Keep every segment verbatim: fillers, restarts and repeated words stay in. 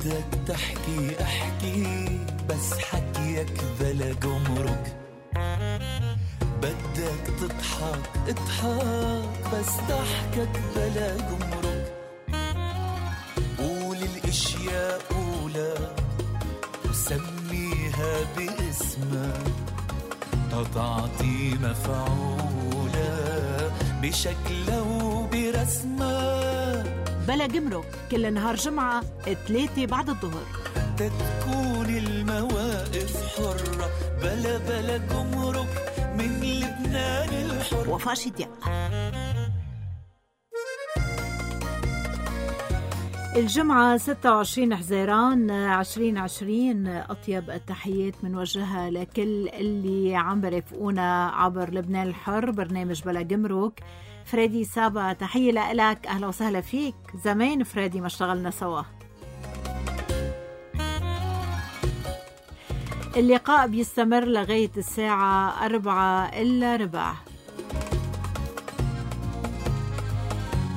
بدك تحكي احكي بس حكيك بلا جمرك، بدك تضحك اضحك بس ضحكك بلا جمرك، قول الاشياء قولها وسميها باسمها تتعطي مفعولة بشكلها وبرسمها. بلا جمرك كل نهار جمعة ثلاثة بعد الظهر تتكون المواقف حرة بلا بلا جمرك من لبنان الحر. وفاء شديق. الجمعة ستة وعشرين حزيران عشرين عشرين، أطيب التحيات منوجهة لكل اللي عم برفقونا عبر لبنان الحر برنامج بلا جمرك. فريدي سابا تحية لك، أهلا وسهلا فيك. زمان فريدي ما اشتغلنا سوا. اللقاء بيستمر لغاية الساعة أربعة إلا ربع.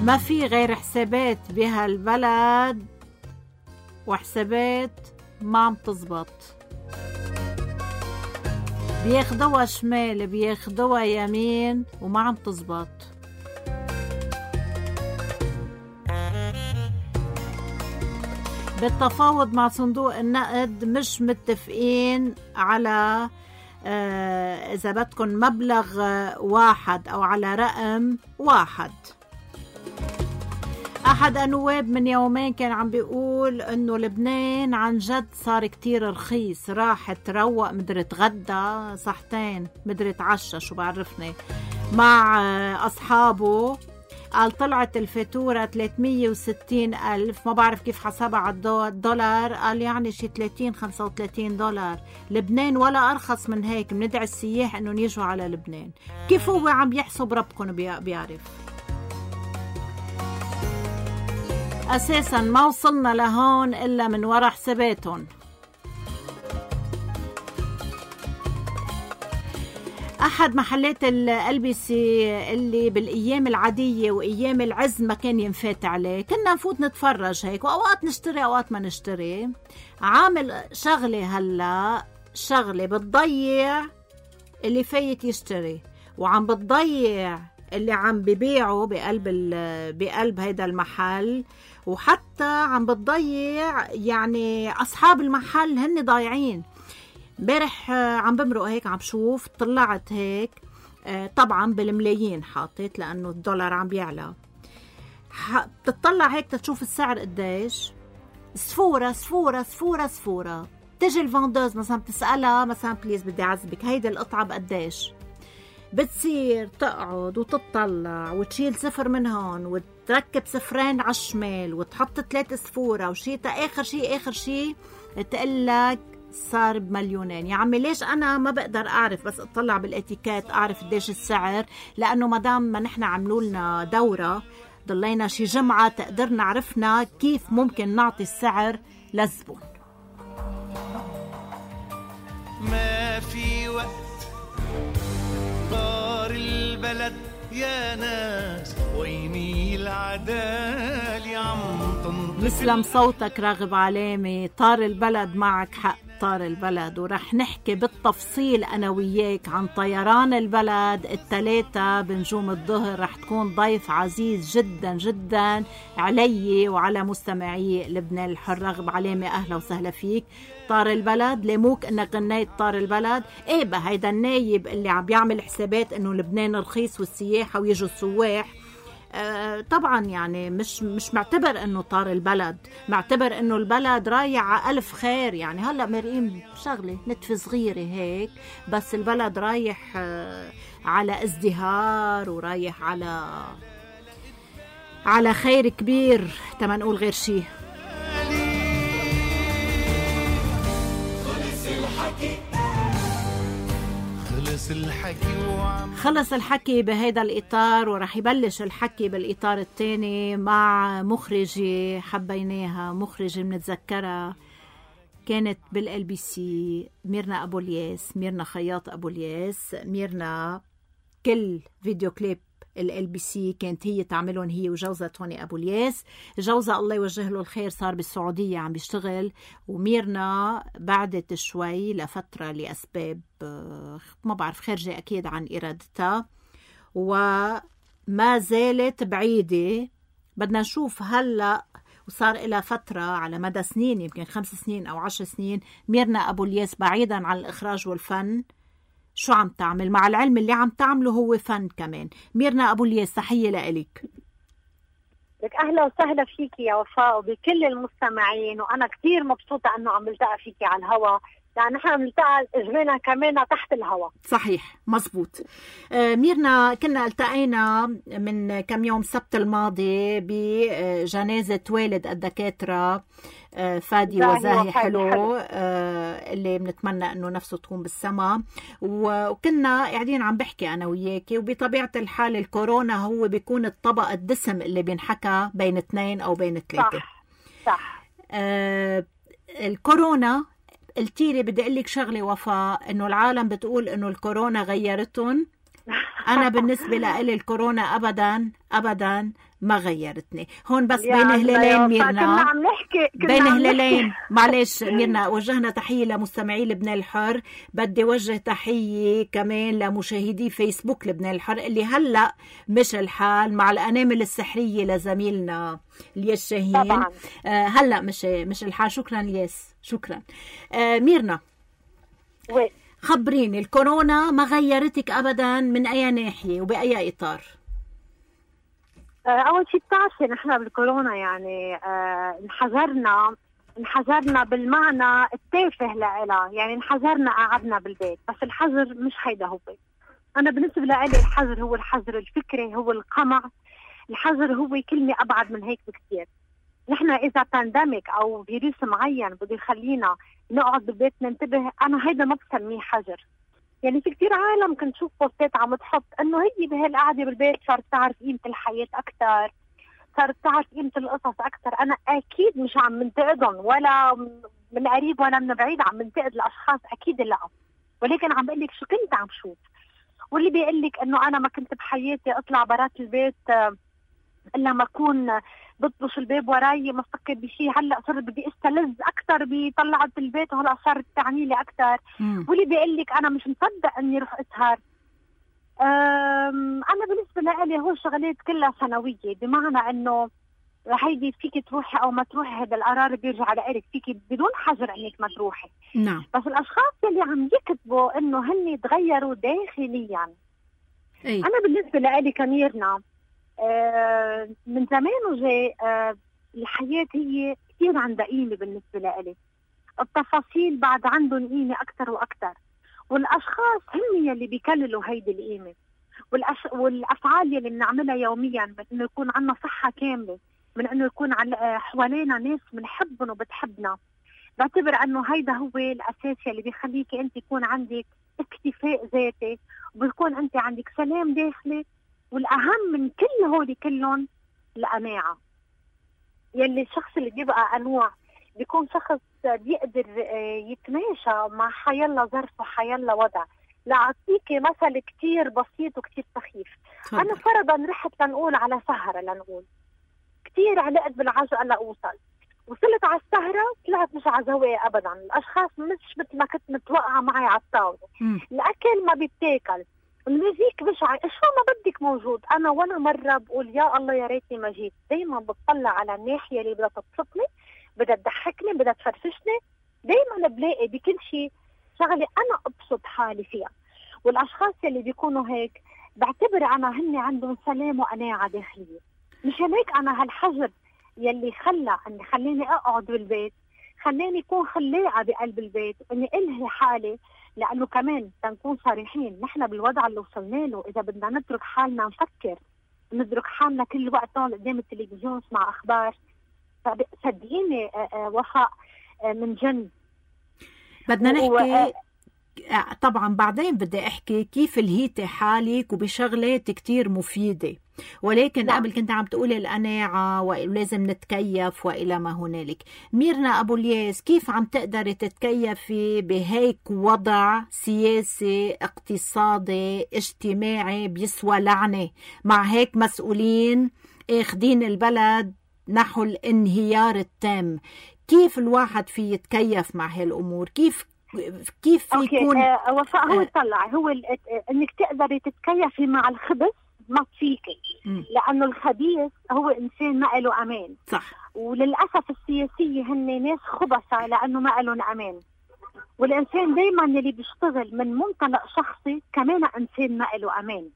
ما في غير حسابات بهالبلد وحسابات ما عم تزبط، بياخدوها شمال بياخدوها يمين وما عم تزبط. بالتفاوض مع صندوق النقد مش متفقين على آه إذا بدكن مبلغ واحد أو على رقم واحد. أحد النواب من يومين كان عم بيقول إنه لبنان عن جد صار كتير رخيص، راح تروق مدري تغدى صحتين مدري تعشى شو بعرفني مع أصحابه، قال طلعت الفاتورة ثلاثمية وستين ألف، ما بعرف كيف حسبها على الدولار، قال يعني شي ثلاثين خمسة وثلاثين دولار. لبنان ولا أرخص من هيك، بندعي السياح إنه يجوا على لبنان. كيف هو عم يحسب ربكم بيعرف؟ أساساً ما وصلنا لهون إلا من وراء حساباتهم. أحد محلات الألبسة اللي بالأيام العادية وأيام العز ما كان ينفات عليه، كنا نفوت نتفرج هيك وأوقات نشتري أوقات ما نشتري، عامل شغلة هلأ شغلة بتضيع اللي فايت يشتري وعم بتضيع اللي عم ببيعه بقلب بقلب هيدا المحل، وحتى عم بتضيع يعني أصحاب المحل هن ضايعين. امبارح عم بمرق هيك عم شوف، طلعت هيك طبعا بالملايين حاطت لأنه الدولار عم بيعلى، بتطلع هيك تشوف السعر قديش، سفورة سفورة سفورة سفورة. تجي الفاندوز مثلا بتسألها مثلا بليز بدي أعذبك هيدا القطعة بقديش، بتصير تقعد وتطلع وتشيل صفر من هون وتركب صفرين على الشمال وتحط ثلاث صفورة وشي تا آخر شي آخر شي تقلك صار بمليونين. يا عمي ليش أنا ما بقدر أعرف بس أطلع بالاتيكات أعرف قديش السعر؟ لأنه مدام ما نحن عملوا لنا دورة ضلينا شي جمعة تقدرنا عرفنا كيف ممكن نعطي السعر للزبون. ما في وقت طار البلد يا ناس ويني العدالة عم تنطفي. مسلم صوتك راغب علامي. طار البلد، معك حق طار البلد، ورح نحكي بالتفصيل أنا وياك عن طيران البلد الثلاثة بنجوم الظهر. رح تكون ضيف عزيز جدا جدا علي وعلى مستمعي لبنان الحر. راغب علامي أهلا وسهلا فيك. طار البلد ليموك انك غنيت طار البلد. ايه بقى هيدا النايب اللي عم بيعمل حسابات انه لبنان رخيص والسياحة ويجوا السواح. آه طبعا يعني مش مش معتبر انه طار البلد، معتبر انه البلد رايح على ألف خير. يعني هلا مرقين شغلة نتفة صغيرة هيك بس البلد رايح آه على ازدهار ورايح على على خير كبير تما نقول غير شي. خلص الحكي وعم خلص الحكي بهيدا الإطار، ورح يبلش الحكي بالإطار الثاني مع مخرجة حبيناها، مخرجة منتذكرها كانت بالال بي سي، ميرنا أبو الياس، ميرنا خياط أبو الياس. ميرنا كل فيديو كليب ال بي سي كانت هي تعملهم، هي وجوزها توني أبو الياس. جوزها الله يوجه له الخير صار بالسعودية عم بيشتغل، وميرنا بعدت شوي لفترة لأسباب ما بعرف خارجة أكيد عن إرادتها، وما زالت بعيدة. بدنا نشوف هلأ، وصار إلى فترة على مدى سنين يمكن خمس سنين أو عشر سنين ميرنا أبو الياس بعيدا عن الإخراج والفن شو عم تعمل، مع العلم اللي عم تعمله هو فن كمان. ميرنا أبو الياس تحية لإلك. لك أهلا وسهلا فيكي يا وفاء وبكل المستمعين، وأنا كتير مبسوطة أنه عم بلتقى فيكي على الهوا، يعني نحن بنلتقى اجمعنا كمان تحت الهواء. صحيح مزبوط. آه ميرنا كنا التقينا من كم يوم السبت الماضي بجنازة والد الدكاترة آه فادي وزاهي حلو آه اللي بنتمنى انه نفسه تكون بالسما، وكنا قاعدين عم بحكي انا وياكي، وبطبيعة الحال الكورونا هو بيكون الطبق الدسم اللي بينحكى بين اثنين او بين ثلاثة. صح صح. آه الكورونا قلتي لي بدي اقول لك شغله وفاء، انه العالم بتقول انه الكورونا غيرتهم. انا بالنسبه لي الكورونا ابدا ابدا ما غيرتني. هون بس بين هلالين ميرنا، كنا عم نحكي بين هلالين معلش ميرنا، وجهنا تحيه لمستمعي لبنان الحر، بدي وجه تحيه كمان لمشاهدي فيسبوك لبنان الحر اللي هلا مش الحال مع الانامل السحريه لزميلنا الياس شاهين. طبعا آه هلا مش مش الحال. شكرا الياس، شكرا. آه ميرنا وي. خبريني، الكورونا ما غيرتك ابدا من اي ناحيه وباي اطار؟ أول شيء بتعرفي نحن بالكورونا يعني آه انحذرنا انحذرنا بالمعنى التافه لها، يعني انحذرنا قعدنا بالبيت، بس الحذر مش هيدا هو. أنا بالنسبة لي الحذر هو الحذر الفكري، هو القمع. الحذر هو كلمة أبعد من هيك بكثير. نحن إذا بانديميك أو فيروس معين بده يخلينا نقعد بالبيت ننتبه، أنا هيدا ما بسميه حذر. يعني في كتير عالم كنت شوف بوستات عم تحط انه هي بهالقعده بالبيت صارت تعرف قيمه الحياه اكثر، صارت تعرف قيمه القصص اكثر. انا اكيد مش عم منتقدهم ولا من قريب ولا من بعيد، عم منتقد الاشخاص اكيد لا، ولكن عم بقول لك شو كنت عم شوف. واللي بيقول لك انه انا ما كنت بحياتي اطلع برات البيت الا ما اكون بطبش الباب وراي ما افكر بشيء، هلا صرت بدي استلذ اكثر بطلعت البيت وهلا صارت تعني لي اكثر. واللي بيقول لك انا مش مصدق اني رح اسهر. انا بالنسبه لي هو شغلات كلها سنويه، بمعنى انه هيدي فيك تروحي او ما تروحي، هذا القرار بيرجع لك، فيك بدون حجر انك ما تروحي. نعم. بس الاشخاص اللي عم يكتبوا انه هن تغيروا داخليا، أي. انا بالنسبه لي كميرنا آه من زمان وجاي آه الحياة هي كثير عندها قيمة بالنسبة لي. التفاصيل بعد عندهم قيمة أكثر وأكثر، والأشخاص هم يلي بيكللوا هيدي القيمة، والأش... والأفعال يلي بنعملها يوميا من إنه يكون عنا صحة كاملة، من إنه يكون على حوالينا ناس بنحبهم وبتحبنا. بعتبر إنه هيدا هو الأساس يلي بيخليكي أنت يكون عندك اكتفاء ذاتي، وبيكون أنت عندك سلام داخلي، والأهم من كل هولي كلهم القناعة. يلي الشخص اللي بيبقى قنوع بيكون شخص بيقدر يتماشى مع حيالله ظرف وحيالله وضع. لأعطيكي مثل كتير بسيط وكتير سخيف. طبعا. أنا فرضا رحت لنقول على سهرة، لنقول كتير علقت بالعجقة لأوصل، وصلت على السهرة طلعت مش على زوايا أبدا، الأشخاص مش مثل ما كنت متوقعة معي على الطاولة. الأكل ما بيتاكل، الميوزيك مش ع... شو ما بدك موجود. انا وانا مره بقول يا الله يا ريتني ما جيت. دايما بتطلع على الناحيه اللي بدها تبسطني، بدها تضحكني، بدها تفرفشني. دايما بلاقي بكل شيء شغله انا ابسط حالي فيها. والاشخاص اللي بيكونوا هيك بعتبر انا هن عندهم سلام وقناعه داخليه. مشان هيك انا هالحجر يلي خلى اني خليني اقعد بالبيت، خلاني اكون خلاقه بقلب البيت، اني الهي حالي. لأنه كمان تنكون صريحين، نحن بالوضع اللي وصلنا له إذا بدنا نترك حالنا نفكر، نترك حالنا كل وقت نقعد قدام التلفزيون نسمع أخبار، صدقيني وفاء من جن. بدنا نحكي طبعا بعدين بدي أحكي كيف لهيتي حالك وبشغلات كتير مفيدة. ولكن نعم. قبل كنت عم تقولي القناعة ولازم نتكيف وإلى ما هنالك. ميرنا أبو الياس، كيف عم تقدري تتكيفي بهيك وضع سياسي اقتصادي اجتماعي بيسوى لعنة، مع هيك مسؤولين اخدين البلد نحو الانهيار التام؟ كيف الواحد في يتكيف مع هالأمور؟ كيف كيف في أوكي. يكون آه وفاء هو آه. طلع هو ال- آه، انك تقدري تتكيفي مع الخبث ما فيكي، مم. لانه الخبيث هو انسان ما له امان، صح وللاسف السياسيه هن ناس خبثة لانه ما لهم امان. والانسان دائما اللي بيشتغل من منطلق شخصي كمان انسان ما له امان،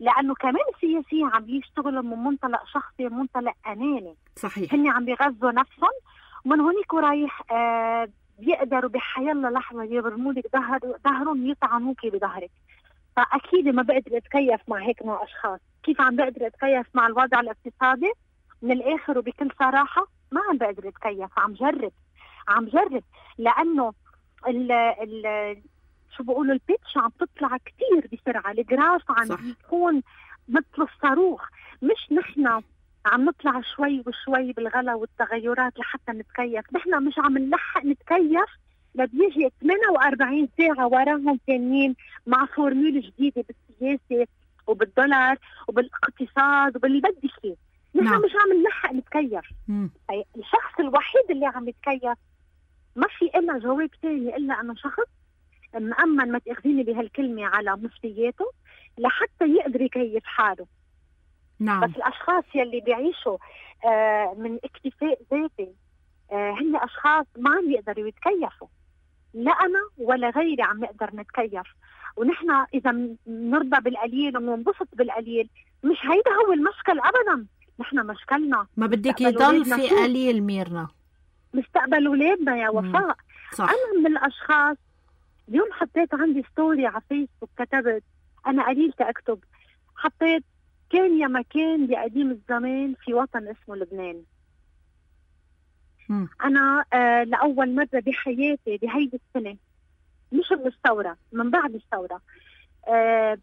لانه كمان السياسيين عم بيشتغلوا من منطلق شخصي ومنطلق اناني. صحيح. هن عم بيغذوا نفسهم، ومن هونيك ورايح آه بيقدروا بحيالله لحظه يبرموا لك ظهر ظهرهم يطعنوكي بظهرك. فاكيد ما بقدر اتكيف مع هيك نوع اشخاص. كيف عم بقدر اتكيف مع الوضع الاقتصادي؟ من الاخر وبكل صراحه ما عم بقدر اتكيف، عم جرب عم جرب لانه ال ال شو بقولوا البيتش عم تطلع كتير بسرعه، الجراف عم يكون مثل الصاروخ. مش نحن عم نطلع شوي وشوي بالغلا والتغيرات لحتى نتكيف، نحن مش عم نلحق نتكيف لبيجي ثمانية وأربعين ساعة وراهم ثانيين مع فورمول جديدة بالسياسة وبالدولار وبالاقتصاد وباللي بدك فيه. نحن نعم. مش عم نلحق نتكيف. مم. الشخص الوحيد اللي عم يتكيف ما في إلا جواب ثاني إلا أنه شخص مأمن، ما تأخذيني بهالكلمة، على مسؤولياته لحتى يقدر يكيف حاله. نعم. بس الأشخاص يلي بيعيشوا آه من اكتفاء ذاتي آه هن أشخاص ما عم يقدروا يتكيفوا. لا أنا ولا غيري عم نقدر نتكيف. ونحن إذا نرضى بالقليل وننبسط بالقليل، مش هيدا هو المشكل أبدا. نحن مشكلنا ما بدك مستقبل يضل ولادنا في شو؟ قليل ميرنا. مستقبل أولادنا يا وفاء. صح. أنا من الأشخاص اليوم حطيت عندي ستوري على فيسبوك، كتبت أنا قليل تأكتب، حطيت كان يا مكان بقديم الزمان في وطن اسمه لبنان. مم. أنا آه لأول مرة بحياتي بهيدي السنة، مش من الثورة، من بعد الثورة، آه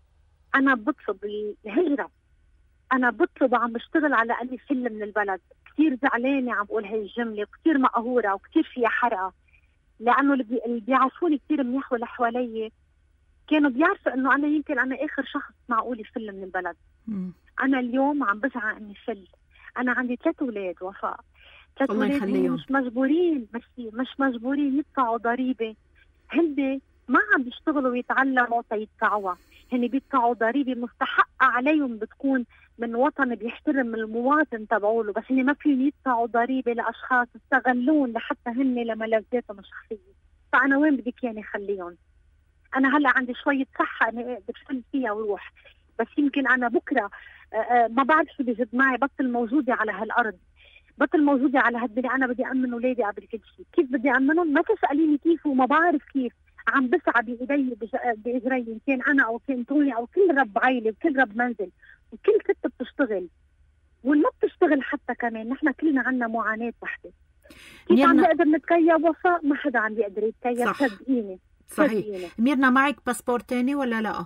أنا بطلب الهجرة. أنا بطلب وعم بشتغل على أني فل من البلد. كتير زعلانة عم بقول هاي الجملة، وكتير مقهورة وكتير فيها حرقة، لأنه اللي بي- اللي بيعرفوني كتير منيح واللي حوالي كانوا بيعرفوا إنه أنا يمكن أنا آخر شخص معقول يفل من البلد. مم. أنا اليوم عم بسعى إني فل. أنا عندي ثلاث أولاد وفاء، ثلاث الله أولاد يخليهم. مش مجبورين مش مش مجبورين يدفعوا ضريبة. هن ما عم بيشتغلوا ويتعلموا تيدفعوها، هن بيدفعوا ضريبة مستحقة عليهم، بتكون من وطن بيحترم المواطن تبعوله، بس هن ما فيهم يدفعوا ضريبة لأشخاص استغلون لحتى هن لملذاتهم الشخصية. فأنا وين بدك يعني خليهم؟ أنا هلا عندي شوية صحة أنا أقدر أفل فيها وروح، بس يمكن أنا بكرة آه، آه، ما بعرف شو بيجد معي، بطل موجودة على هالأرض، بطل موجودة على هالدنيا. أنا بدي أمن أولادي قبل كل شيء. كيف بدي أمنهم؟ ما تسأليني كيف وما بعرف كيف. عم بسعى بإيدي بج- بإجري، كان أنا أو كان توني أو كل رب عائلة وكل رب منزل وكل ست بتشتغل والما بتشتغل حتى كمان. نحن كلنا عنا معاناة وحدة. كيف ميرنا- عم نقدر نتكيف وفاء؟ ما حدا عم بيقدر يتكيف، صح. صدقيني صحيح. صدقيني. ميرنا، معك باسبور تاني ولا لا؟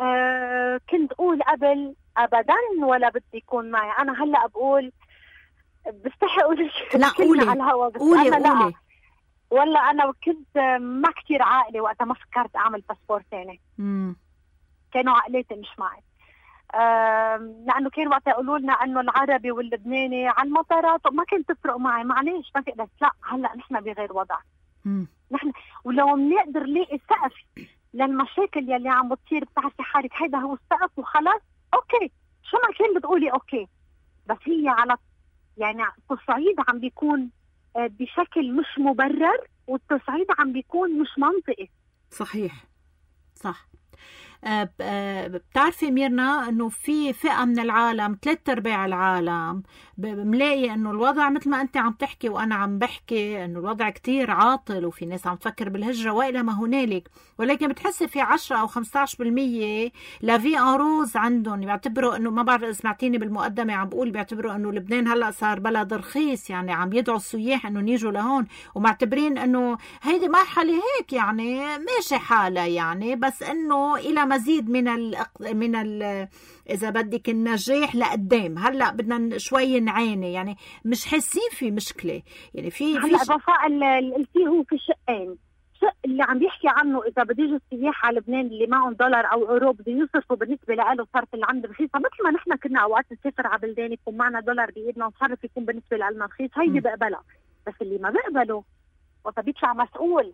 آه كنت أقول قبل أبدا ولا بدي يكون معي. أنا هلأ بقول بستحي أقول لا، كلمة قولي. على الهوا، بس قولي أنا لا. قولي. ولا أنا كنت ما كتير عاقلة وقتها ما فكرت أعمل باسبور تاني. مم. كانوا عقلاتي مش معي. آم، لأنه كان وقت يقولوا لنا أنه العربي واللبناني على المطارات وما كانت تفرق معي. معليش ما في، بس لا، هلا نحن بغير وضع. مم. نحن ولو بنقدر نلاقي سقف للمشاكل يلي عم بتصير، بتعرفي حالك هيدا هو السقف وخلاص، اوكي شو ما كان بتقولي اوكي. بس هي على يعني التصعيد عم بيكون آه، بشكل مش مبرر، والتصعيد عم بيكون مش منطقي. صحيح. صح. آه، ب- آه، بتعرفي ميرنا انه في فئة من العالم، ثلاث ارباع العالم ب- ملاقي انه الوضع مثل ما انت عم تحكي وانا عم بحكي، انه الوضع كتير عاطل وفي ناس عم تفكر بالهجرة والى ما هنالك، ولكن بتحسي في عشرة او خمسة عشر بالمية لافي ان روز عندهم. بيعتبروا انه، ما بعرف سمعتيني بالمقدمة عم بقول، بيعتبروا انه لبنان هلا صار بلد رخيص، يعني عم يدعوا السياح انه يجوا لهون، ومعتبرين انه هيدي مرحلة هيك يعني ماشي حالها يعني، بس انه الى مزيد من ال من ال اذا بدك النجاح لقدام. هلا بدنا شوي نعاني، يعني مش حاسين في مشكله، يعني في هلا في وفاء اللي قلتيه هو في شقين. الشق اللي عم بيحكي عنه اذا بده يجوا السياح على لبنان اللي معهم دولار او اورو بده يصرفوا بالنسبه له صرف اللي عنده رخيصه، مثل ما نحن كنا اوقات نسافر على بلدان يكون معنا دولار بايدنا وصرف يكون بالنسبه لنا رخيص، هيدي بقبلها. بس اللي ما بقبله وقت بيطلع مسؤول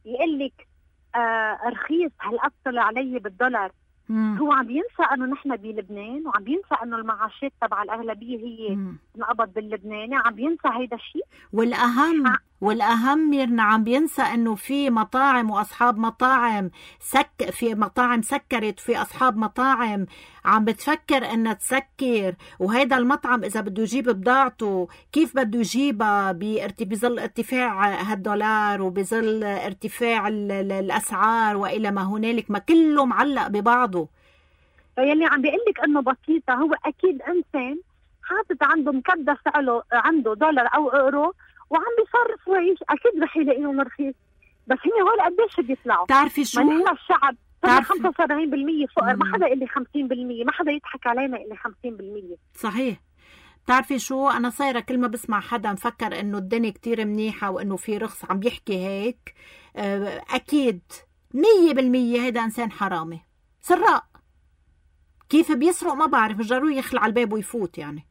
يقول لك آه رخيص هالقد طلع علي بالدولار، مم. هو عم بينسى انه نحن بلبنان، وعم بينسى انه المعاشات تبع الاغلبيه هي تنقبض باللبناني، عم بينسى هيدا الشيء. والاهم ع... والاهم ميرنا عم بينسى انه في مطاعم واصحاب مطاعم سك في مطاعم سكرت، في اصحاب مطاعم عم بتفكر انها تسكر، وهيدا المطعم اذا بده يجيب بضاعته كيف بده يجيبها بظل ارتفاع هالدولار وبظل ارتفاع الاسعار والى ما هنالك، ما كله معلق ببعضه. فيلي عم بيقول لك انه بسيطه، هو اكيد انسان حاطط عنده مكدس له عنده دولار او اورو وعم بيصرف ويعيش، اكيد رح يلاقيهم رخيص. بس هن هول قديش بيطلعوا؟ بتعرفي شو؟ ما نحن الشعب خمسة وسبعين بالمية فقر، ما حدا يقول لي خمسين بالمية، ما حدا يضحك علينا يقول لي خمسين بالمية. صحيح. بتعرفي شو، انا صايره كل ما بسمع حدا مفكر انه الدنيا كتير منيحه وانه في رخص عم بيحكي هيك، اكيد مية بالمية هيدا انسان حرامي سراق. كيف بيسرق ما بعرف، جروا يخلع الباب ويفوت، يعني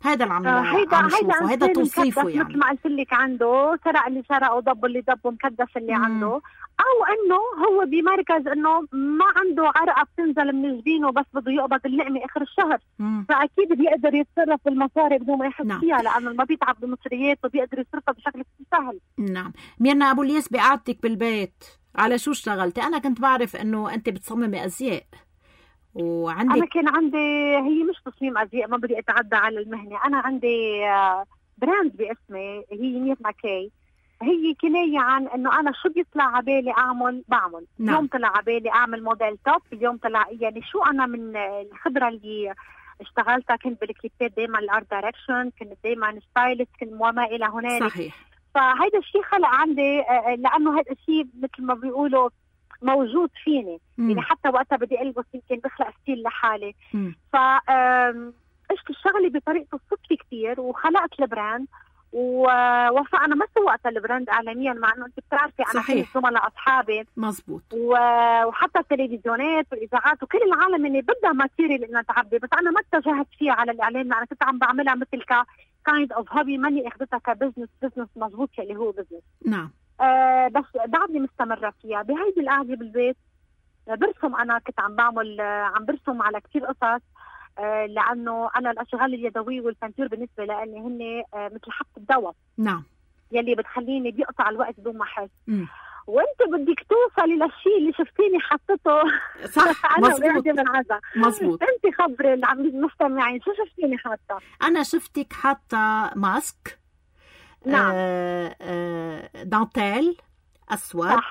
هذا اللي عم هيدا عم نشوفه، هيدا توصيفه. يعني مثل ما قلت لك عنده سرق اللي سرقه وضب اللي ضبه، مكدس اللي مم. عنده، او انه هو بمركز انه ما عنده عرقه بتنزل من جبينه بس بده يقبض اللقمه اخر الشهر، مم. فاكيد بيقدر يتصرف بالمصاري بدون ما يحس نعم. فيها، لانه ما بيتعب بمصريات وبيقدر يصرفها بشكل سهل. نعم. ميرنا ابو الياس، بقعدتك بالبيت على شو اشتغلتي؟ انا كنت بعرف انه انت بتصممي ازياء وعندك. أنا كان عندي، هي مش تصميم أزياء، ما بدي أتعدى على المهنة، أنا عندي براند باسمي هي ميرنا كي، هي كناية عن إنه أنا شو بيطلع عبالي أعمل بعمل. نعم. اليوم طلع عبالي أعمل موديل توب، اليوم طلع يعني شو أنا من الخبرة اللي اشتغلتها كنت بالكليبات دايما الارت دايركشن، كنت دايما ستايلست، كنت وما إلى هنالك. صحيح. فهيدا الشيء خلق عندي، لأنه هيدا الشيء مثل ما بيقولوا موجود فيني. مم. يعني حتى وقتها بدي البس يمكن بخلق ستيل لحالي. ف عشت الشغله بطريقه الصدفه كثير وخلقت البراند. ووفاء انا ما سوقت البراند اعلاميا، مع انه انت بتعرفي انا كل زملاء اصحابي مزبوط، وحتى التلفزيونات والاذاعات وكل العالم اللي بدها ماتيريال انها تعبي، بس انا ما اتجهت فيها على الاعلام، انا كنت عم بعملها مثل ك كايند اوف هوبي، ماني اخذتها كبزنس بزنس مزبوط اللي هو بزنس. نعم. آه بس بعدني مستمرة فيها. بهيدي القعدة بالبيت برسم، أنا كنت عم بعمل عم برسم على كتير قصص، آه لأنه أنا الأشغال اليدوية والبنتور بالنسبة لأني هن آه مثل حبة الدواء. نعم. يلي بتخليني بيقطع الوقت بدون ما أحس. وأنت بدك توصلي للشيء اللي شفتيني حطته. صح. أنا مزبوط. من عزا. مزبوط. أنت خبري المستمعين شو شفتيني حاطة؟ أنا شفتك حاطة ماسك. نعم. آه آه دانتيل أسود. صح.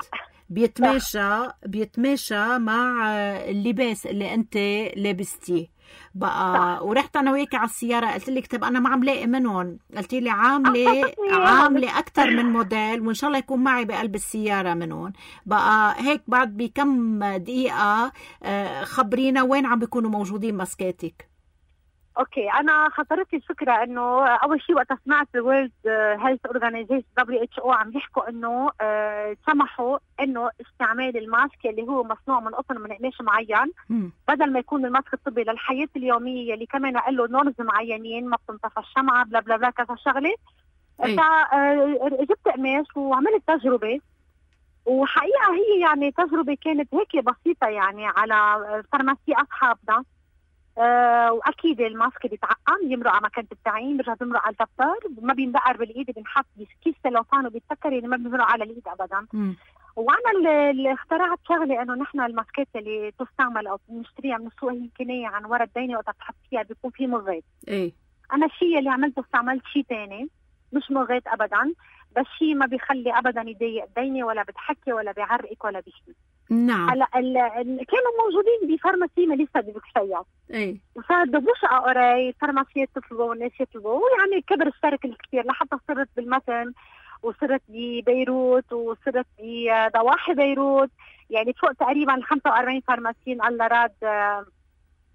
بيتماشى بيتماشى مع اللباس اللي أنت لابستيه بقى. صح. ورحت أنا وياك على السيارة قلت لك طب أنا ما عم لاقي منهم، قلت لي عاملة عاملة أكتر من موديل وإن شاء الله يكون معي بقلب السيارة منهم بقى. هيك بعد بكم دقيقة خبرينا وين عم بيكونوا موجودين ماسكاتك. اوكي، انا خطرت الفكره انه اول شيء وقت سمعت الورلد هيلث اورجانيزيشن دبليو اتش او عم يحكوا انه آه سمحوا انه استعمال الماسك اللي هو مصنوع من قطن من قماش معين، م. بدل ما يكون الماسك الطبي للحياه اليوميه اللي كمان له نورمز معينين، ما بتنطفى الشمعه بلا بلا بلا كذا شغله. فجبت قماش وعملت تجربه، وحقيقه هي يعني تجربه كانت هيك بسيطه يعني على فارماسي اصحابنا. أه واكيد الماسك بيتعقم، يمرق على مكان التعيين، بيرجع بيمرق على الدفتر، ما بيندقر بالايد، بنحط بكيس سلوفان وبيتسكر، يعني ما بيمرق على الايد ابدا. م. وانا اللي اخترعت شغله انه نحن الماسكات اللي تستعمل او نشتريها من السوق هي كنايه عن ورا الدينه، وقت بتحط فيها بيكون في مغيط. ايه انا الشيء اللي عملته استعملت شيء ثاني مش مغيط ابدا، بس شيء ما بيخلي ابدا يضايق الدينه ولا بتحكي ولا بيعرقك ولا بشيء. نعم. هلا كانوا موجودين بفارماسي ميليسا دي بوكسيات. ايه. فدبوش قراي فارماسيات تطلبوا والناس يطلبوا، ويعني كبر السيركل كثير لحتى صرت بالمتن وصرت ببيروت وصرت بضواحي بيروت. يعني فوق تقريبا خمسة وأربعين فارماسيين الله راد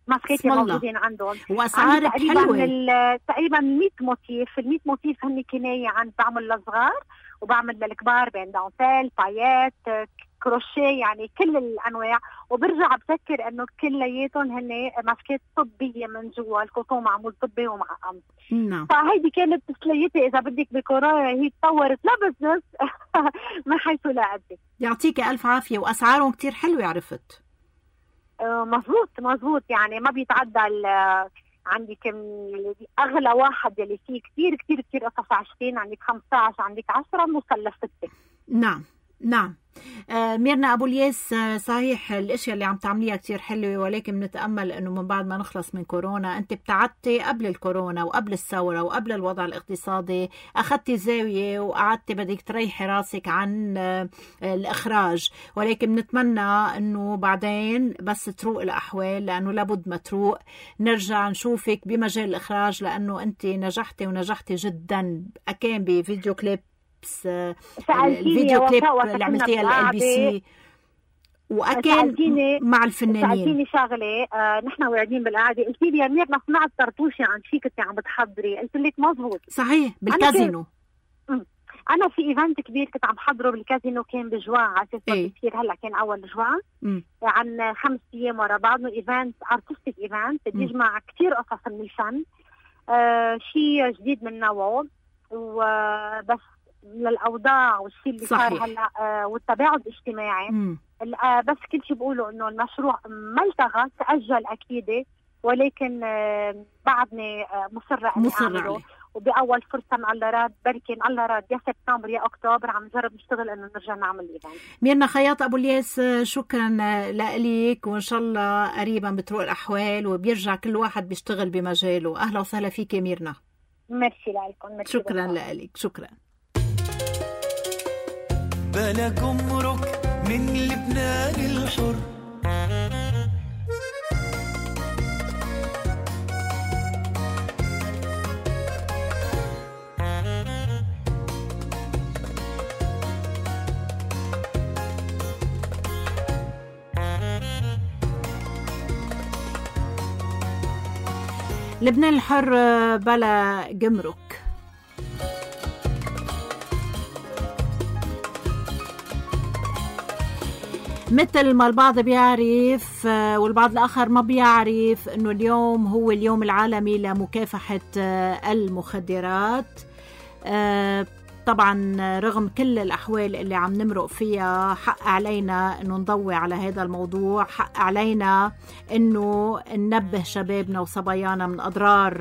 ماسكات موجودين عندهم، واسعار حلوه. تقريبا مية موتيف، ال مية موتيف هن كنايه عن بعمل للصغار وبعمل للكبار، بين دانتيل، بايات، كروشيه، يعني كل الانواع. وبرجع بفكر انه كلياتهم هن ماسكات طبيه من جوا، الكوتون معمول طبي ومعقم. نعم. فهيدي كانت تسليتي اذا بدك بكورونا، هي تطورت لا بزنس من حيث لا ادري. يعطيك الف عافيه، واسعارهم كتير حلوه عرفت. آه مزبوط مزبوط، يعني ما بيتعدى عندك اغلى واحد يلي فيه كثير كثير كثير قصص عشرين، عندك خمسة عشر، عندك عشرة، نوصل لستة. نعم نعم. آه ميرنا أبو الياس، آه صحيح الاشياء اللي عم تعمليها كتير حلوه، ولكن بنتامل انه من بعد ما نخلص من كورونا، انت ابتعدتي قبل الكورونا وقبل الثوره وقبل الوضع الاقتصادي، اخذتي زاويه وقعدتي بدك تريحي راسك عن آه الاخراج، ولكن بنتمنى انه بعدين بس تروق الاحوال، لانه لابد ما تروق، نرجع نشوفك بمجال الاخراج، لانه انت نجحتي ونجحتي جدا، كان بفيديو كليب، الفيديو كليب اللي عملتيها الال بي سي، واكيد مع الفنانين. سألتيني شغله، آه نحن واعدين بالقعده، قلتي لي يا ميرنا سمعت طرطوشي عن شيء كنت عم بتحضري، قلت لك مزبوط صحيح بالكازينو. أنا, انا في ايفنت كبير كنت عم بحضره بالكازينو، كان بجوع على اساس كثير، هلا كان اول جوع عن خمس ايام ورا بعض، ايفنت ارتستيك ايفنت بيجمع كثير قصص من الفن، آه شيء جديد من نوعه، وبس للاوضاع والشيء اللي صار هلا آه والتباعد الاجتماعي، آه بس كل شيء بقوله انه المشروع ما التغى، تاجل اكيد، ولكن آه بعدني آه مصره اني اعمله، وباول فرصه من الله راد، بركي الله راد يا سبتمبر يا اكتوبر عم نجرب نشتغل انه نرجع نعمل الايفنت. ميرنا خياط ابو الياس، شكرا لك، وان شاء الله قريبا بتروق الاحوال وبيرجع كل واحد بيشتغل بمجاله. اهلا وسهلا فيك يا ميرنا. ميرسي لكم. شكرا لك. شكرا. بلا جمرك من لبنان الحر، لبنان الحر بلا جمرك. مثل ما البعض بيعرف والبعض الآخر ما بيعرف أنه اليوم هو اليوم العالمي لمكافحة المخدرات. طبعا رغم كل الأحوال اللي عم نمرق فيها، حق علينا أنه نضوي على هذا الموضوع، حق علينا أنه ننبه شبابنا وصبايانا من أضرار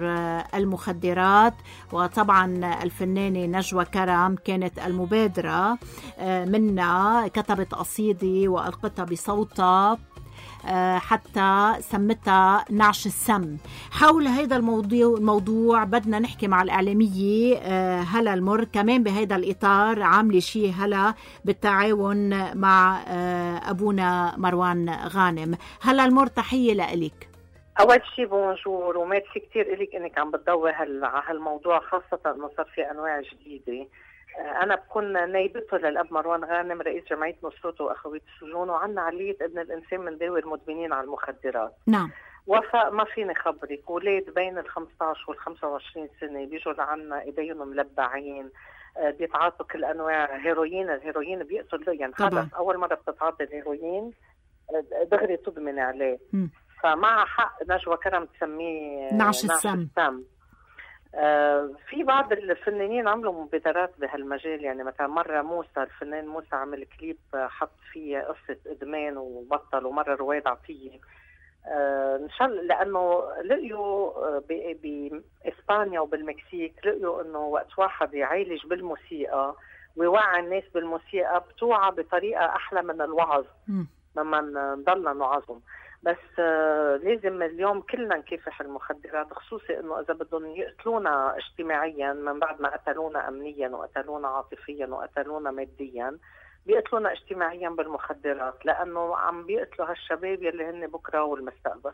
المخدرات. وطبعا الفنانة نجوى كرم كانت المبادرة منا، كتبت قصيدة وألقتها بصوتها حتى سمتها نعش السم. حول هذا الموضوع الموضوع بدنا نحكي مع الإعلامية هلا المر، كمان بهذا الإطار عاملة شيء هلا بالتعاون مع أبونا مروان غانم. هلا المر، تحية لإلك. أول شيء بونجور، وميرسي كتير إليك إنك عم بتضوي على هالموضوع، خاصة إنه صار في أنواع جديدة. أنا بكون نايبته للأب مروان غانم، رئيس جمعية نصرته وأخوية السجون، وعنا عملية ابن الإنسان من ذوي المدمنين على المخدرات. نعم. وفاء ما فيني خبرك، أولاد بين ال خمسة عشر وال خمسة وعشرين سنة بيجوا لعنا إيديهم ملبعين، بيتعاطوا كل أنواع هيروين. الهيروين بيقتل، يعني خلص أول مرة بتتعاطي الهيروين دغري تدمن عليه. م. فمع حق نجوى كرم تسميه نعش السم, السم. آه في بعض الفنانين عملوا مبادرات بهالمجال، يعني مثلا مرة موسى، الفنان موسى عمل كليب حط فيه قصة إدمان وبطل، ومرة رواد عطية آه إن شاء الله، لأنه لقيوا بإسبانيا وبالمكسيك لقيوا إنه وقت واحد يعالج بالموسيقى ويوعي الناس بالموسيقى بتوعى بطريقة أحلى من الوعظ لما نضلنا نوعظهم. بس آه لازم اليوم كلنا نكافح المخدرات، خصوصي انه اذا بدهم يقتلونا اجتماعيا من بعد ما قتلونا امنيا وقتلونا عاطفيا وقتلونا ماديا، بيقتلونا اجتماعيا بالمخدرات، لانه عم بيقتلوا هالشباب يلي هن بكره والمستقبل.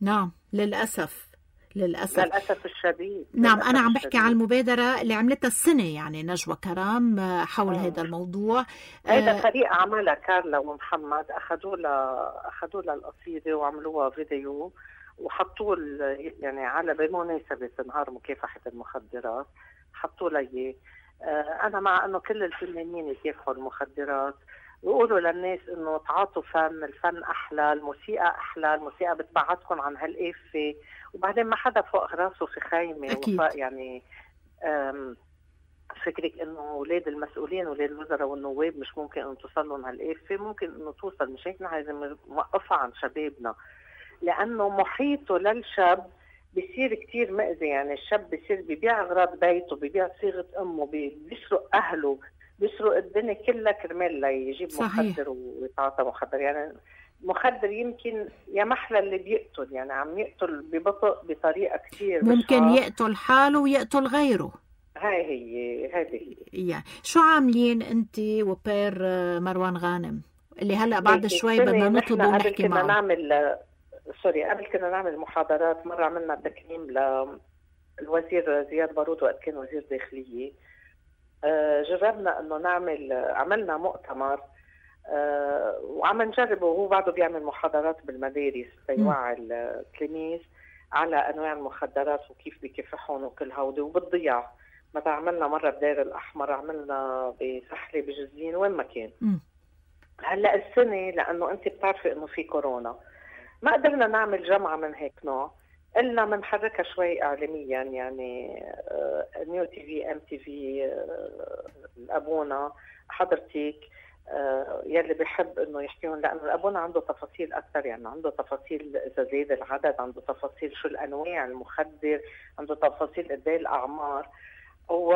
نعم للاسف للأسف للأسف الشديد. نعم. للأسف أنا عم بحكي الشديد. عن المبادرة اللي عملتها السنة يعني نجوى كرم حول مم. هذا الموضوع. هيدا آه فريق عملها كارلا ومحمد، أخذوا لها أخذوا لها القصيدة وعملوها فيديو وحطوا يعني على بمناسبة نهار مكافحة المخدرات حطوا لها إياه. أنا مع إنه كل الفنانين يكافحوا المخدرات ويقولوا للناس إنه تعاطوا فن، الفن أحلى، الموسيقى أحلى، الموسيقى بتبعدكم عن هالقافة، وبعدين ما حدا فوق راسه في خيمة. أكيد. وفوق يعني فكرك إنه أولاد المسؤولين أولاد الوزراء والنواب مش ممكن إنه توصل لهم هالقافة، ممكن إنه توصل. مش هيك نحن لازم نوقفها عن شبابنا، لأنه محيطه للشاب بيصير كتير مأذي. يعني الشاب بيصير بيبيع أغراض بيته، بيبيع صيغة أمه، بيسرق أهله، بيسرق الدنيا كلها كرمال ليجيب مخدر ويتعاطى مخدر. يعني مخدر يمكن يا محلى اللي بيقتل، يعني عم يقتل ببطء بطريقة كتير ممكن بشعة. يقتل حاله ويقتل غيره. هاي هي هذه يعني شو عاملين انت وبير مروان غانم اللي هلا بعد شوي بدنا نطلبه ونحكي معه؟ قبل كنا نعمل سوري قبل كنا نعمل محاضرات. مرة عملنا تكريم للوزير زياد بارود وقت كان وزير داخلية. أه جربنا انه نعمل عملنا مؤتمر أه وعم نجربه، وهو بعده بيعمل محاضرات بالمدارس ليوعي التلاميذ على انواع المخدرات وكيف بيكافحون وكل هودي وبالضياع. مثلا عملنا مرة بدير الأحمر، عملنا بسحلة بجزلين، وين ما كان. م. هلا السنة لأنه أنت بتعرفي إنه في كورونا ما قدرنا نعمل جمعة من هيك نوع، إلا منحركها شوي إعلاميا. يعني آه نيو تي في، ام تي في، آه الأبونا، حضرتك، آه يلي بيحب إنه يحكيهم، لأنه الأبونا عنده تفاصيل أكثر. يعني عنده تفاصيل إذا زاد العدد، عنده تفاصيل شو الأنواع المخدر، عنده تفاصيل قد ايه الأعمار. و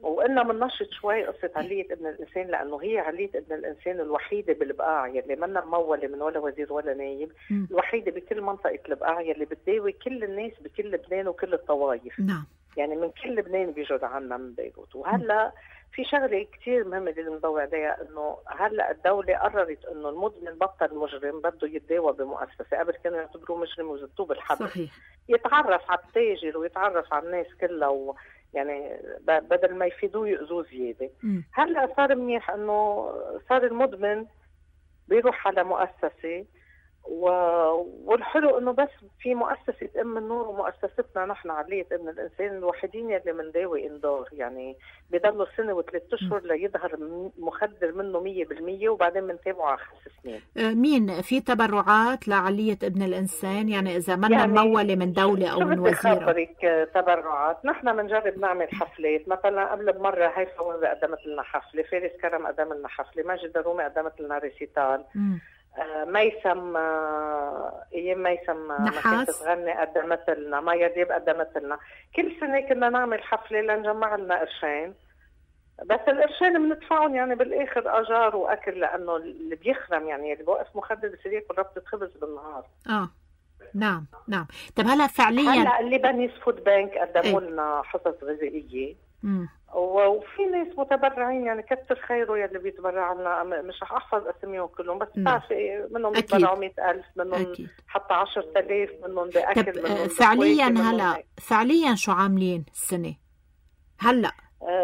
وإننا مننشط شوي قصة علية ابن الإنسان، لأنه هي علية ابن الإنسان الوحيدة بالبقاع يلي منا ممولة من ولا وزير ولا نايب، م. الوحيدة بكل منطقة البقاع يلي بتداوي كل الناس بكل لبنان وكل الطوائف. نعم. يعني من كل لبنان بيجوا لعنا من بيروت. وهلا في شغلة كتير مهمة اللي نضوي عليها، إنه هلا الدولة قررت إنه المدمن بطل مجرم بده يتداوى بمؤسسة. قبل كانوا يعتبروه مجرم وزتوه بالحبس. صحيح. يتعرف على التاجر ويتعرف على الناس كلها و... يعني بدل ما يفيدوه يؤذوه زيادة. هلا صار منيح انه صار المدمن بيروح على مؤسسة، و... والحلو انه بس في مؤسسة ام النور ومؤسستنا نحن علية ابن الانسان الوحيدين يلي منداوي اندور. يعني بيضلوا سنة وثلاث اشهر ليظهر مخدر منه مية بالمية، وبعدين بنتابعه على خمس سنين. مين في تبرعات لعلية ابن الانسان؟ يعني اذا منا يعني ممولة من دولة او من وزيرة؟ خبرك تبرعات. نحن بنجرب نعمل حفلات. مثلا قبل بمرة هيفا وهبة قدمت لنا حفلة، فارس كرم قدم لنا حفلة، ماجد الرومي قدمت لنا ريسيتال، آه ميسم آه ايام ميسم ما كانت تغني قدمت لنا، مايا ديب قدمت لنا. كل سنة كنا نعمل حفلة لنجمع لنا قرشين، بس القرشين بندفعهم يعني بالاخر اجار واكل، لانه اللي بيخرم يعني اللي بوقف مخدر بصير ياكل ربطة خبز بالنهار. اه نعم نعم. طب هلا فعليا هلا اللي بنيس فود بانك قدموا لنا حصص غذائية. مم. وفي ناس متبرعين يعني كتر خيره يلي بيتبرعوا لنا. مش رح احفظ اسميهم كلهم، بس بتعرفي منهم بيتبرعوا مئة ألف، منهم حتى عشرة آلاف، منهم بأكل، منهم فعليا هلا فعليا شو عاملين السنة هلا؟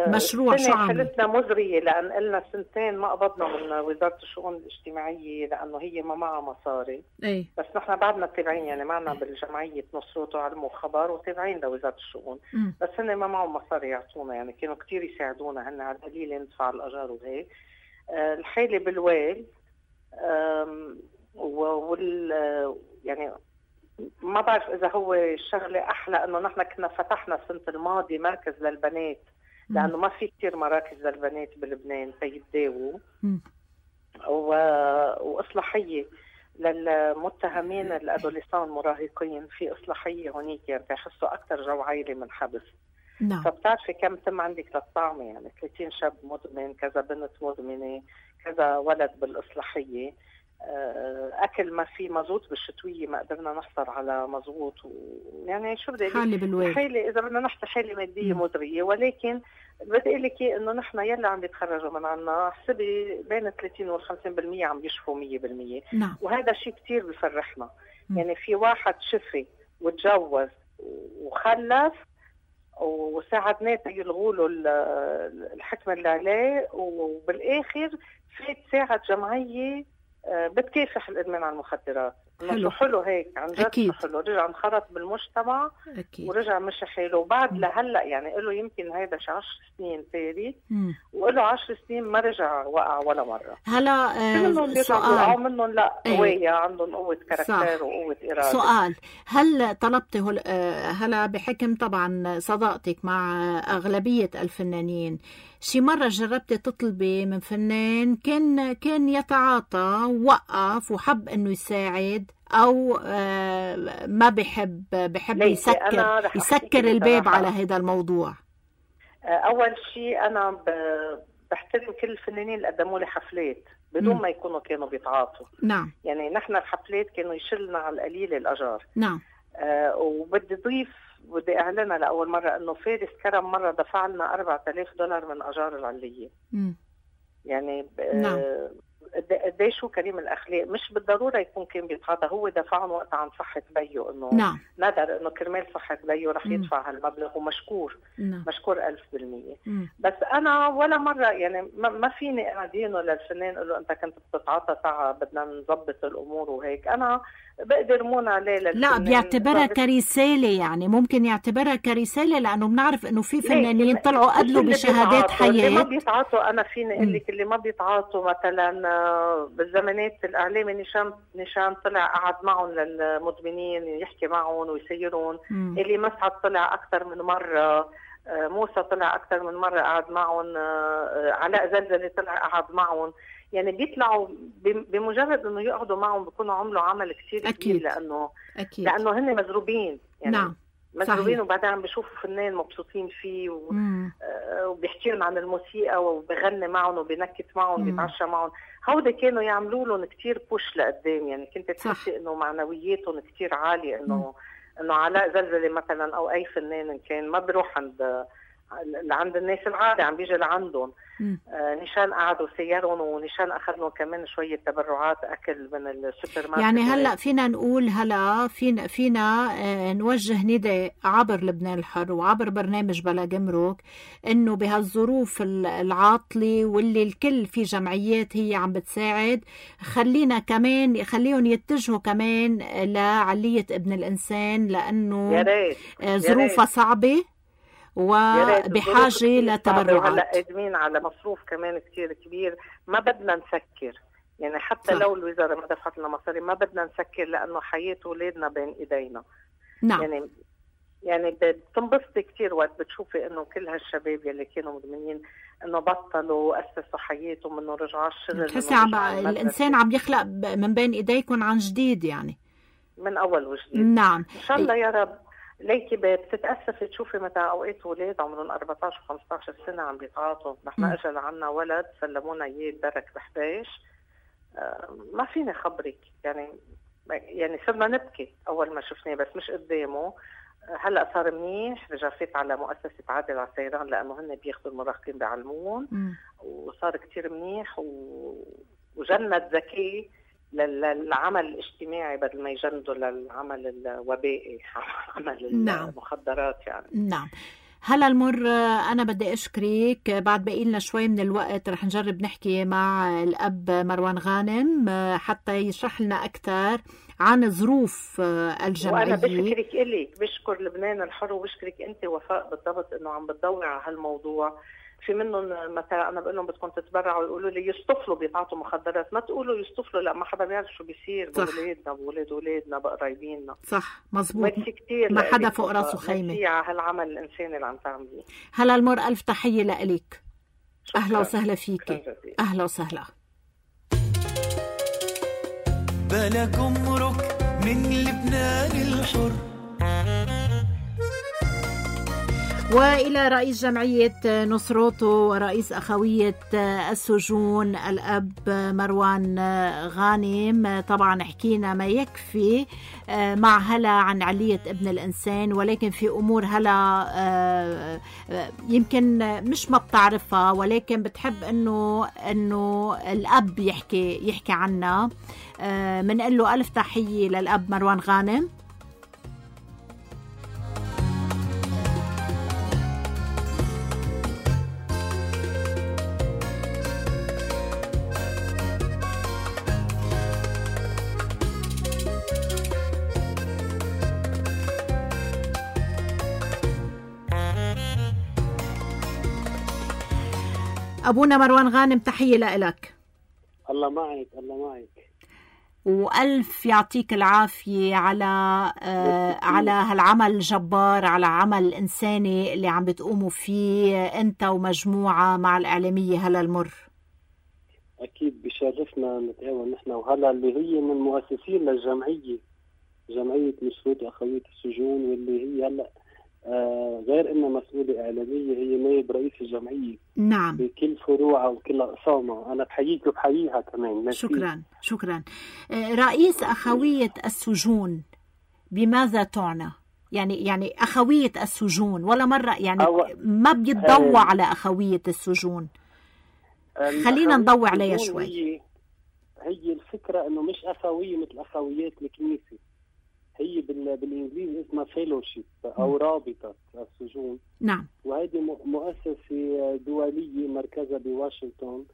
مشروع شو عامل؟ حالتنا مزرية، لأن قلنا سنتين ما قبضنا من وزارة الشؤون الاجتماعية لأنه هي ما معها مصاري. أي. بس نحن بعدنا تابعين، يعني معنا بالجمعية نصرة وعلم وخبر وتابعين لوزارة الشؤون. م. بس هن ما معهم مصاري يعطونا، يعني كانوا كتير يساعدونا هن على القليل ندفع الأجار وهيك. أه الحالة بالويل وال يعني ما بعرف إذا هو الشغلة أحلى إنه نحن كنا فتحنا السنة الماضية مركز للبنات، لأنه ما في كتير مراكز للبنات بلبنان تيتداووا، و... وإصلاحية للمتهمين الأدوليسان المراهقين. في إصلاحية هونيك يعني تحسوا أكتر جو عائلي من حبس. نعم. فبتعرفي كم تم عندك للطعمة، يعني ثلاثين شاب مدمن، كذا بنت مدمنة، كذا ولد بالإصلاحية. أكل ما في مزوط بالشتوية، ما قدرنا نحصل على مزوط، و... يعني شو بدي أقول حالة إذا بدنا نحكي حالة مادية مزرية. ولكن بدي أقول لك إنه نحن يلا عم يتخرجوا من عنا حسبي بين ثلاثين وخمسين بالمية عم يشفوا مية بالمية. نعم. وهذا شيء كتير بفرحنا. م. يعني في واحد شفي وتجوز وخلف وساعدناه يلغوا له الحكم اللي عليه، وبالاخر فات ساعد جمعيه بتكافح الادمان على المخدرات. حلو حلو هيك عن جد حلو، رجع انخرط بالمجتمع أكيد. ورجع مشي حاله. وبعد لهلا يعني له يمكن هيدا شي عشر سنين تاري، وله عشر سنين ما رجع وقع ولا مره. هلا آه سؤال منهم لا قوية، عندهم قوة كاركتير وقوة إرادة. سؤال، هل طلبتي هل هلا بحكم طبعا صداقتك مع أغلبية الفنانين، شي مرة جربتي تطلبي من فنان كان كان يتعاطى وقف وحب انه يساعد، او آه ما بحب بحب يسكر يسكر الباب على هذا الموضوع؟ اول شيء انا بحترم كل الفنانين اللي قدموا لي حفلات بدون م. ما يكونوا كانوا بيتعاطوا. نعم. يعني نحن الحفلات كانوا يشلنا على القليل الاجار. نعم. آه وبدي ضيف بدي اعلنها لاول مره انه فارس كرم مره دفع لنا أربعة آلاف دولار من اجار العليه. امم يعني نعم. قديش شو كريم الاخلاق، مش بالضروره يكون كان بيتعاطى، هو دفعهم وقت عن صحه بيو، انه نعم. ندر انه كرمال صحه بيو رح يدفع هالمبلغ، ومشكور نعم. مشكور ألف بالمية. بس انا ولا مره يعني ما فيني انا دينه للفنان اقول له انت كنت بتتعاطى تعا بدنا نظبط الامور وهيك. انا بقدر مون عليه للفنان. لا بيعتبرها كرساله، يعني ممكن يعتبرها كرساله، لانه بنعرف انه في فنانين طلعوا قدلوا بشهادات حياه. اللي ما بيتعاطوا انا فيني اقول لك اللي ما بيتعاطوا مثلا بالزمانات الاعلامي نشان نشان طلع قعد معهم للمدمنين يحكي معهم ويسيرون. اللي مسعد طلع اكثر من مره، موسى طلع اكثر من مره قعد معهم، علاء زلزلة طلع قعد معهم. يعني بيطلعوا بمجرد انه يقعدوا معهم بيكونوا عملوا عمل كثير كبير، لانه أكيد. لانه هن مزروبين يعني. نعم. مزروبين، وبعدين عم بيشوفوا فنان مبسوطين فيه و... آه وبيحكي لهم عن الموسيقى وبغني معهم وبينكت معهم بيتعشى معهم. هودي كانوا يعملوا لهم كثير بوش لقدام، يعني كنت تحسي انه معنوياتهم كثير عاليه، انه انه علاء زلزلة مثلا او اي فنان كان ما بيروح عند عند الناس العادي، عم بيجي لعندهم. آه نشان قعدوا سيرهم، ونشان اخذوا كمان شويه تبرعات اكل من السوبر ماركت. يعني هلا فينا نقول هلا فينا فينا آه نوجه نداء عبر لبنان الحر وعبر برنامج بلا جمرك، انه بهالظروف العاطله واللي الكل في جمعيات هي عم بتساعد، خلينا كمان خليهم يتجهوا كمان لعليه ابن الانسان، لانه آه ظروفها صعبه وبحاجة لتبرعات. هلا قادمين على مصروف كمان كتير كبير، ما بدنا نسكر يعني حتى صح. لو الوزارة ما دفعت لنا مصاري ما بدنا نسكر، لأنه حياة أولادنا بين إيدينا. نعم. يعني يعني بتنبسطي كتير وقت بتشوفي إنه كل هالشباب يلي كانوا مدمنين إنه بطلوا أسسوا حياتهم، إنه رجعوا الشغل. تحسي عم الإنسان عم يخلق من بين إيديكم عن جديد، يعني من أول وجديد. نعم إن شاء الله يا رب. ليكي بتتأسفي تشوفي متى أوقات أولاد عمرهم أربعة عشر خمسة عشر سنة عم بيتعاطوا. نحن أجل عنا ولد سلمونا إياه بدرك بحباش. آه ما فيني خبرك يعني يعني صرنا نبكي أول ما شفناه، بس مش قدامه. هلأ صار منيح، رجع فات على مؤسسة عادل عسيران لأنه هن بياخدوا المراهقين بعلمون، وصار كتير منيح و... وجند ذكي للعمل الاجتماعي بدل ما يجندوا للعمل الوبائي، عمل نعم. المخدرات يعني. نعم. هلا المر أنا بدي أشكرك، بعد باقي لنا شوي من الوقت رح نجرب نحكي مع الأب مروان غانم حتى يشرح لنا أكثر عن ظروف الجمعية. وأنا بشكرك إليك، بشكر لبنان الحر وبشكرك أنت وفاء بالضبط إنه عم بتدوري على هالموضوع. في منهم مثلا انا بقول لهم بدكم تتبرعوا يقولوا لي يصطفلوا بيتعاطوا مخدرات، ما تقولوا يصطفلوا، لا ما حدا بيعرف شو بيصير باولادنا باولاد اولادنا بقرايبينا. صح مزبوط، ما حدا فوق راسه خيمه. ميرسي على هالعمل الانساني اللي عم تعمليه. هلا المر الف تحيه لك، اهلا وسهلا فيكي. اهلا وسهلا. بلا جمرك من لبنان الحر. وإلى رئيس جمعية نصروتو ورئيس أخوية السجون الأب مروان غانم. طبعا حكينا ما يكفي مع هلا عن علية ابن الإنسان، ولكن في أمور هلا يمكن مش ما بتعرفها، ولكن بتحب إنه إنه الأب يحكي يحكي عنها. منقول له ألف تحية للأب مروان غانم. أبونا مروان غانم تحية لإلك. الله معك، الله معك، وألف يعطيك العافية على آه على هالعمل الجبار، على عمل إنساني اللي عم بتقوموا فيه أنت ومجموعة مع الإعلامية هلا المر. أكيد بشرفنا نتعاون نحن وهلا اللي هي من المؤسسين للجمعية، جمعية مشروط أخوية السجون، واللي هي هلا آه غير إنها مسؤولة إعلامية هي نائب رئيس الجمعية. نعم. بكل فروعها وكل أقسامها. أنا بحييك وبحييها كمان. شكرا شكرا. آه رئيس أخوية السجون بماذا تعنى؟ يعني يعني أخوية السجون ولا مرة يعني أو... ما بيتضوى على أخوية السجون. خلينا نضوي عليها شوي. هي هي الفكرة إنه مش أخوية مثل أخويات الكنيسة، هي بالإنجليزي اسمها فيلوشيب أو رابطة السجون. نعم. وهذه مؤسسة دولية مركزها بواشنطن،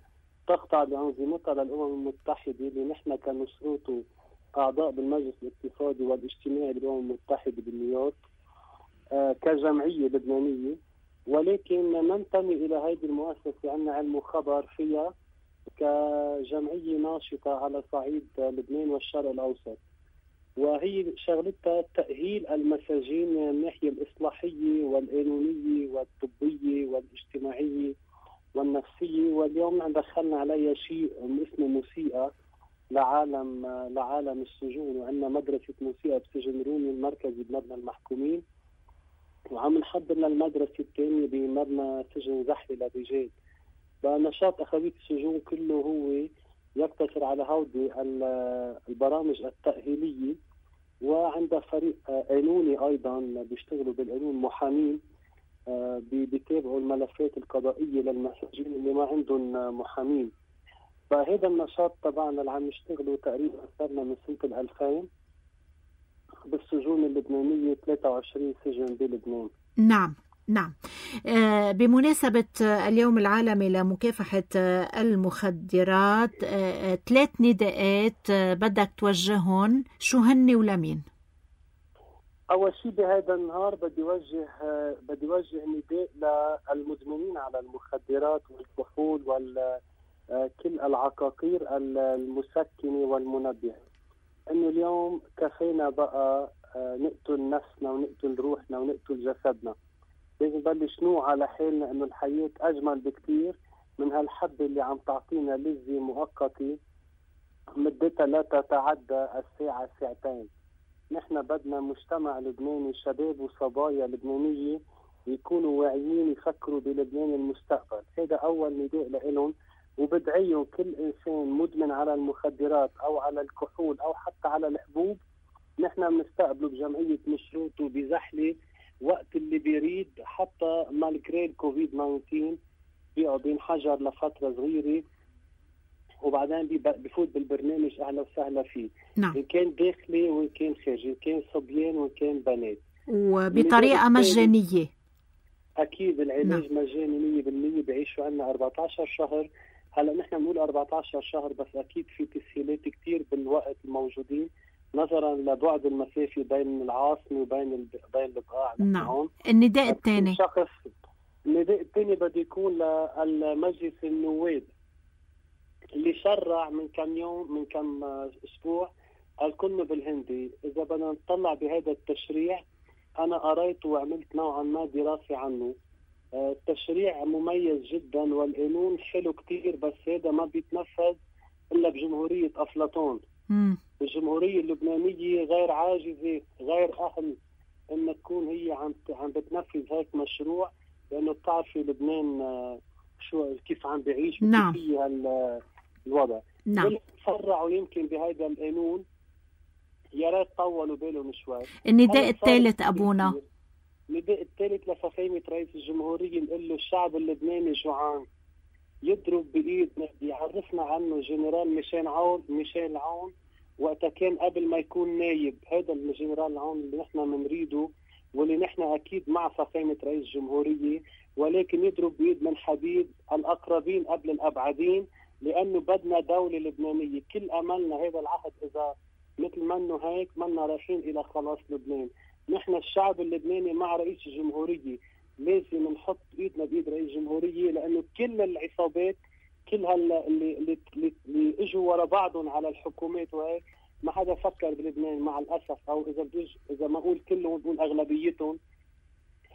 تخضع بأنظمتها للأمم المتحدة، اللي نحن كنشروط أعضاء بالمجلس الاقتصادي والاجتماعي بالأمم المتحدة بنيويورك آه كجمعية لبنانية، ولكن ننتمي إلى هذه المؤسسة، عندنا علم وخبر فيها كجمعية ناشطة على صعيد لبنان والشرق الأوسط. وهي شغلتها تأهيل المساجين من الناحية الإصلاحية والقانونية والطبية والاجتماعية والنفسية. واليوم دخلنا عليها شيء اسمه موسيقى لعالم لعالم السجون، وعندنا مدرسة موسيقى بسجن رومي المركزي بمبنى المحكومين، وعم نحضر للمدرسة الثانية بمبنى سجن زحلة للرجال. فنشاط أخوية السجون كله هو يقتصر على هودي البرامج التأهيلية، وعندها فريق قانوني أيضا بيشتغلوا بالقانون، محامين بيتابعوا الملفات القضائية للمساجين اللي ما عندهم محامين. فهذا النشاط طبعا اللي عم نشتغله تقريبا صرنا من سنة الألفين بالسجون اللبنانية، ثلاثة وعشرين سجن بلبنان. نعم نعم. آه بمناسبة اليوم العالمي لمكافحة المخدرات، آه ثلاث نداءات آه بدك توجههم، شو هن ولمين؟ أول شيء بهذا النهار بدي وجه آه بدي وجه نداء للمدمنين على المخدرات والكحول وكل العقاقير المسكنة والمنبهة، إنه اليوم كفينا بقى آه نقتل نفسنا ونقتل روحنا ونقتل جسدنا. لازم نبلش نوعى على حالنا انه الحياة اجمل بكتير من هالحبة اللي عم تعطينا لذة مؤقتة مدتها لا تتعدى الساعة ساعتين. نحن بدنا مجتمع لبناني، شباب وصبايا لبنانية يكونوا واعيين، يفكروا بلبنان المستقبل. هذا اول نداء لهم، وبدعيهم كل انسان مدمن على المخدرات او على الكحول او حتى على الحبوب، نحن بنستقبله بجمعية مشروط وبزحلة وقت اللي بيريد، حتى مالكري الكوفيد تسعة عشر بيقعد ينحجر لفترة صغيرة وبعدين بفوت بالبرنامج أهلا وسهلا فيه. نعم. إن كان داخلي وإن كان خارجي، إن كان صبيان وإن كان بنات، وبطريقة مجانية. أكيد العلاج نعم. مجاني مية بالمية. بعيشوا عنا أربعة عشر شهر. هلا نحن بنقول أربعة عشر شهر، بس أكيد في تسهيلات كتير بالوقت الموجودين نظرا لبعد المسافة بين العاصمة وبين بين البقاع. نعم. النداء الثاني شخص النداء الثاني بده يكون للمجلس النواب اللي شرع من كم يوم من كم اسبوع الكنه بالهندي. اذا بدنا نطلع بهذا التشريع، انا قريته وعملت نوعا ما دراسة عنه. التشريع مميز جدا والقانون حلو كتير، بس هذا ما بيتنفذ الا بجمهورية افلاطون. مم. الجمهورية اللبنانية غير عاجزة، غير أهل إن تكون هي عم عم بتنفذ هيك مشروع، لأنه بتعرفي لبنان شو كيف عم بيعيش. نعم. في الوضع. نعم. فرعوا يمكن بهذا القانون، يا ريت طولوا بالهم شوي. النداء الثالث أبونا، النداء الثالث لفخامة رئيس الجمهورية نقول له الشعب اللبناني جوعان، يضرب بإيدنا، يعرفنا عنه جنرال ميشيل عون ميشيل عون وقتها كان قبل ما يكون نايب. هذا الجنرال عون اللي نحن منريده واللي نحن أكيد مع فخامة رئيس الجمهورية، ولكن يضرب بإيد من حبيب الأقربين قبل الأبعدين، لأنه بدنا دولة لبنانية. كل أملنا هذا العهد إذا مثل منه هيك منا رايحين إلى خلاص لبنان. نحن الشعب اللبناني مع رئيس الجمهورية لازم نحط ايدنا بايد رئيس الجمهوريه، لانه كل العصابات كل هلا اللي اللي, اللي, اللي اجوا ورا بعضهم على الحكومات وهيك ما حدا فكر بلبنان مع الاسف، او اذا بجوز اذا ما اقول كلهم بقول اغلبيتهم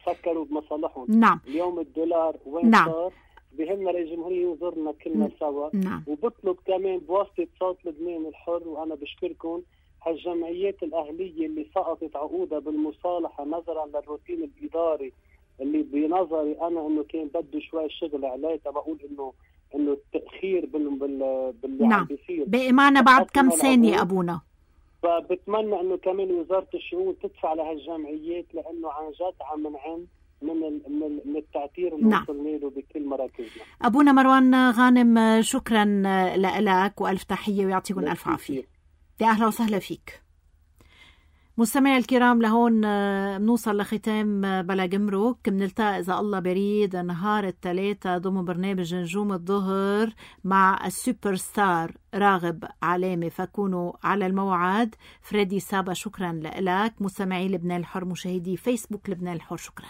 فكروا بمصالحهم. نعم. اليوم الدولار وين نعم. صار؟ بهمنا رئيس الجمهوريه ينظرنا كلنا سوا. نعم. وبطلب كمان بواسطه صوت لبنان الحر، وانا بشكركم، هالجمعيات الاهليه اللي سقطت عقودها بالمصالحه نظرا للروتين الاداري اللي بنظري انا انه كان بده شوي شغل عليه، بقول انه انه التاخير بال بال باللي نعم. عم بيصير باقي معنا بعد كم ثانيه ابونا. فبتمنى انه كمان وزاره الشؤون تدفع لهالجمعيات، لانه عن جد عم نعاني من من من التعتير اللي نعم. وصلنا له بكل مراكزنا. ابونا مروان غانم شكرا لك والف تحيه ويعطيكم الف عافيه. يا اهلا وسهلا فيك. مستمعي الكرام، لهون بنوصل لختام بلا جمرك. بنلتقى إذا الله بريد نهار الثلاثاء ضمن برنامج نجوم الظهر مع السوبر ستار راغب علامة، فكونوا على الموعد. فريدي سابا شكرا لك. مستمعي لبنان الحر، مشاهدي فيسبوك لبنان الحر، شكرا.